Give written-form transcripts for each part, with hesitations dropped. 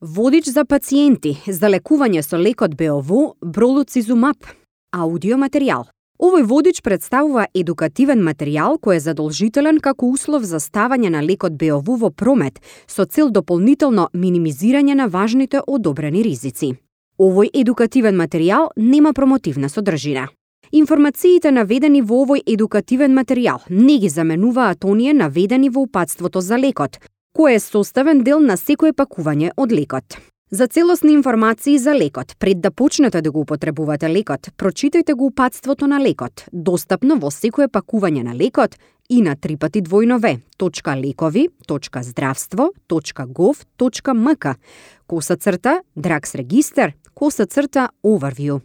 Водич за пациенти за лекување со лекот БОВ бролуцизумаб. Аудио материјал. Овој водич представува едукативен материјал кој е задолжителен како услов за ставање на лекот БОВ во промет со цел дополнително минимизирање на важните одобрени ризици. Овој едукативен материјал нема промотивна содржина. Информациите наведени во овој едукативен материјал не ги заменуваат оние наведени во упатството за лекот, кој е составен дел на секое пакување од лекот. За целосни информации за лекот, пред да почнете да го употребувате лекот, прочитајте го упатството на лекот, достапно во секое пакување на лекот и на www.lekovi.zdravstvo.gov.mk /drugs-register/overview.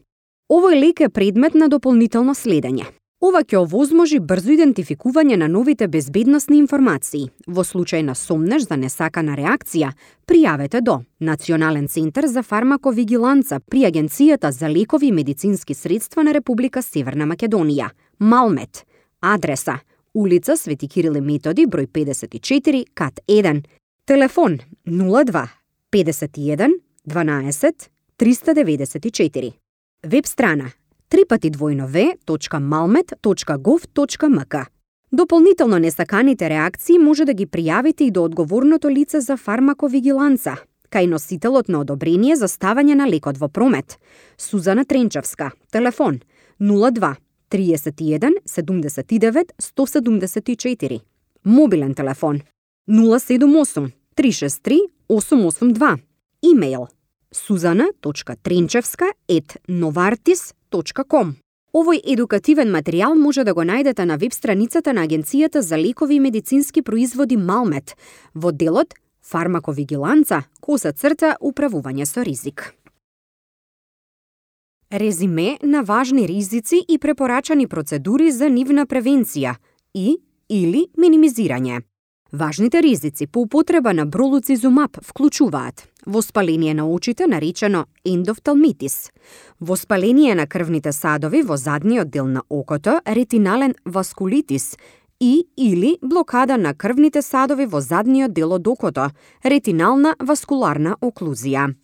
Овој лек е предмет на дополнително следење. Ова ќе овозможи брзо идентификување на новите безбедносни информации. Во случај на сомнеш за несакана реакција, пријавете до Национален центар за фармаковигиланца при Агенцијата за лекови и медицински средства на Република Северна Македонија, Малмет. Адреса: улица Свети Кирил и Методи, број 54, кат 1. Телефон 02 51 12 394. Веб страна www.malmet.gov.mk. Дополнително несаканите реакции може да ги пријавите и до одговорното лице за фармаковигиланца, кај носителот на одобрение за ставање на лекот во промет. Сузана Тренчевска. Телефон 02 31 79 174. Мобилен телефон 078 363 882. Имейл suzana.trenchevska@novartis.com. Овој едукативен материјал може да го најдете на веб страницата на Агенцијата за лекови и медицински производи Малмет во делот Фармаковигиланца /управување со ризик. Резиме на важни ризици и препорачани процедури за нивна превенција или минимизирање. Важните ризици по употреба на бролуцизумаб вклучуваат воспаление на очите наречено ендофталмитис, воспаление на крвните садови во задниот дел на окото, ретинален васкулитис или блокада на крвните садови во задниот дел од окото, ретинална васкуларна оклузија.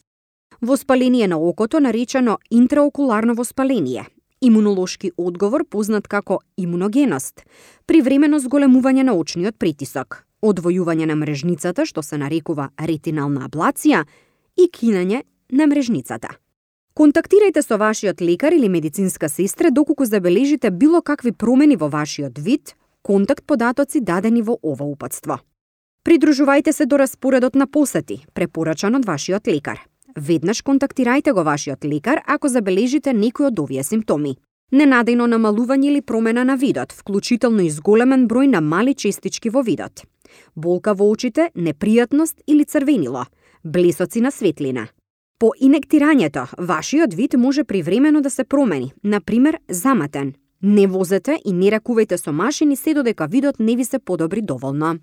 Воспаление на окото наречено интраокуларно воспаление, имунолошки одговор познат како имуногеност, привремено зголемување на очниот притисок, одвојување на мрежницата што се нарекува ретинална аблација и кинење на мрежницата. Контактирајте со вашиот лекар или медицинска сестра доколку забележите било какви промени во вашиот вид, контакт податоци дадени во ова упатство. Придружувајте се до распоредот на посети, препорачан од вашиот лекар. Веднаш контактирајте го вашиот лекар ако забележите некој од овие симптоми. Ненадејно намалување или промена на видот, вклучително и зголемен број на мали честички во видот. Болка во очите, непријатност или црвенило, блесоци на светлина. По инектирањето, вашиот вид може привремено да се промени, например заматен. Не возете и не ракувајте со машини се додека видот не ви се подобри доволно.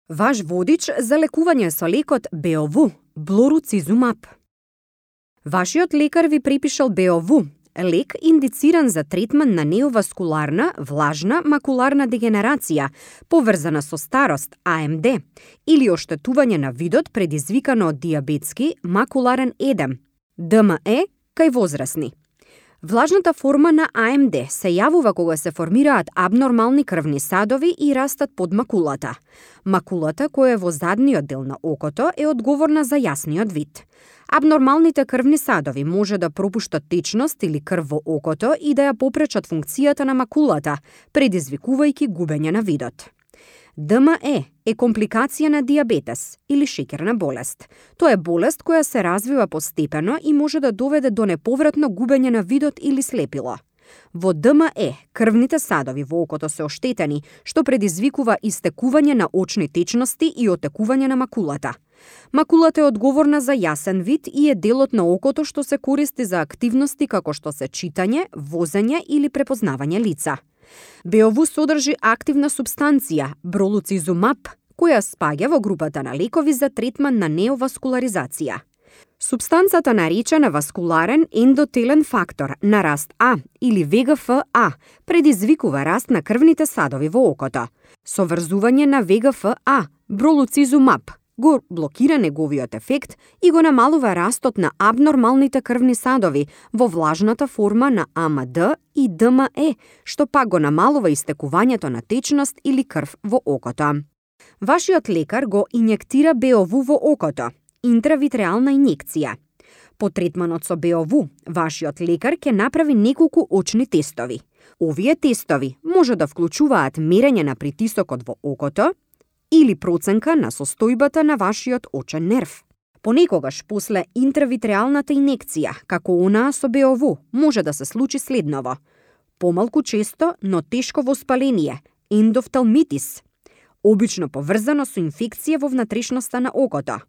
Ваш водич за лекување со лекот БОВ бролуцизумаб. Вашиот лекар ви препишал БОВ, лек индициран за третман на неоваскуларна, влажна макуларна дегенерација, поврзана со старост, АМД, или оштетување на видот предизвикано од диабетски макуларен едем, ДМЕ, кај возрастни. Влажната форма на АМД се јавува кога се формираат абнормални крвни садови и растат под макулата. Макулата, која е во задниот дел на окото, е одговорна за јасниот вид. Абнормалните крвни садови може да пропуштат течност или крв во окото и да ја попречат функцијата на макулата, предизвикувајќи губење на видот. ДМЕ е компликација на диабетес или шеќерна болест. Тоа е болест која се развива постепено и може да доведе до неповратно губење на видот или слепило. Во ДМЕ, крвните садови во окото се оштетени, што предизвикува истекување на очни течности и отекување на макулата. Макулата е одговорна за јасен вид и е делот на окото што се користи за активности како што се читање, возење или препознавање лица. БОВ содржи активна супстанција, бролуцизумаб, која спаѓа во групата на лекови за третман на неоваскуларизација. Супстанцата наречена васкуларен ендотелен фактор на раст А или ВГФ-А предизвикува раст на крвните садови во окото. Со врзување на ВГФ-А, бролуцизумаб го блокира неговиот ефект и го намалува растот на абнормалните крвни садови во влажната форма на АМД и ДМЕ, што пак го намалува истекувањето на течност или крв во окото. Вашиот лекар го инјектира БОВ во окото, интравитреална инјекција. По третманот со БОВ, вашиот лекар ќе направи неколку очни тестови. Овие тестови може да вклучуваат мерење на притисокот во окото или проценка на состојбата на вашиот очен нерв. Понекогаш после интравитреалната инекција, како онаа со БОВ, може да се случи следново: помалку често, но тешко воспаление, ендофталмитис, обично поврзано со инфекција во внатрешноста на окото,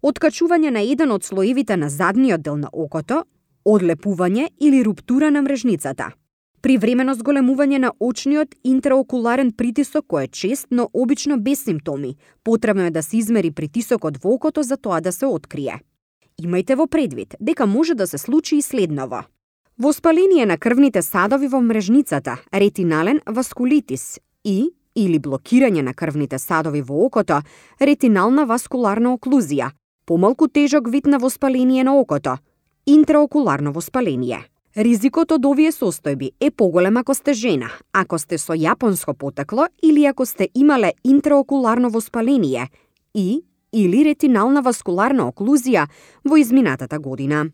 откачување на еден од слоевите на задниот дел на окото, одлепување или руптура на мрежницата, привремено зголемување на очниот интраокуларен притисок кој е чест, но обично без симптоми. Потребно е да се измери притисокот во окото за тоа да се открие. Имајте во предвид дека може да се случи и следново: воспаление на крвните садови во мрежницата, ретинален васкулитис или блокирање на крвните садови во окото, ретинална васкуларна оклузија, помалку тежок вид на воспаление на окото, интраокуларно воспаление. Ризикот од овие состојби е поголем ако сте жена, ако сте со јапонско потекло или ако сте имале интраокуларно воспаление или ретинална васкуларна оклузија во изминатата година.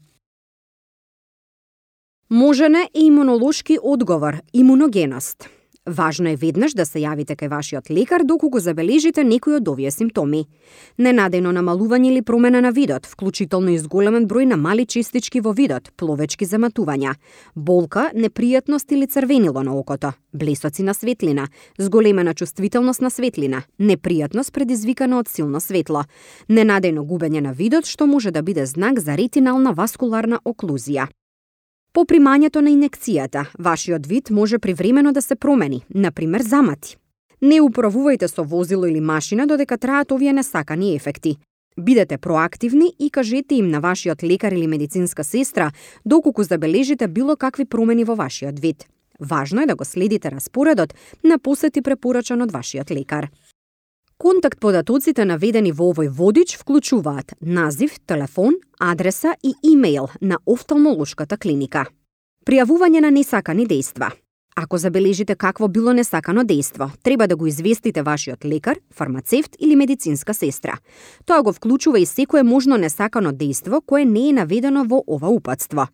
Можен е имунолошки одговор, имуногеност. Важно е веднаш да се јавите кај вашиот лекар доколку забележите некој од овие симптоми. Ненадејно намалување или промена на видот, вклучително и зголемен број на мали честички во видот, пловечки заматувања, болка, непријатност или црвенило на окото, блесоци на светлина, зголемена чувствителност на светлина, непријатност предизвикана од силно светло, ненадејно губење на видот што може да биде знак за ретинална васкуларна оклузија. По примањето на инекцијата, вашиот вид може привремено да се промени, например замати. Не управувајте со возило или машина додека траат овие несакани ефекти. Бидете проактивни и кажете им на вашиот лекар или медицинска сестра доколку забележите било какви промени во вашиот вид. Важно е да го следите распоредот на посети препорачан од вашиот лекар. Контакт податоците наведени во овој водич вклучуваат назив, телефон, адреса и имејл на офталмолошката клиника. Пријавување на несакани дејства. Ако забележите какво било несакано дејство, треба да го известите вашиот лекар, фармацевт или медицинска сестра. Тоа го вклучува и секое можно несакано дејство кое не е наведено во ова упатство.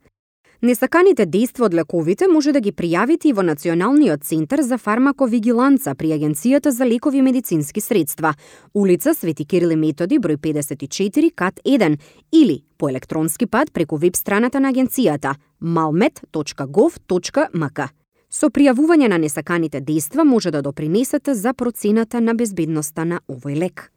Несаканите дејства од лековите може да ги пријавите и во Националниот центар за фармаковигиланца при Агенцијата за лекови и медицински средства, улица Свети Кирил и Методи, број 54, кат 1, или по електронски пат преку веб страната на агенцијата malmed.gov.mk. Со пријавување на несаканите дејства може да допринесете за процената на безбедноста на овој лек.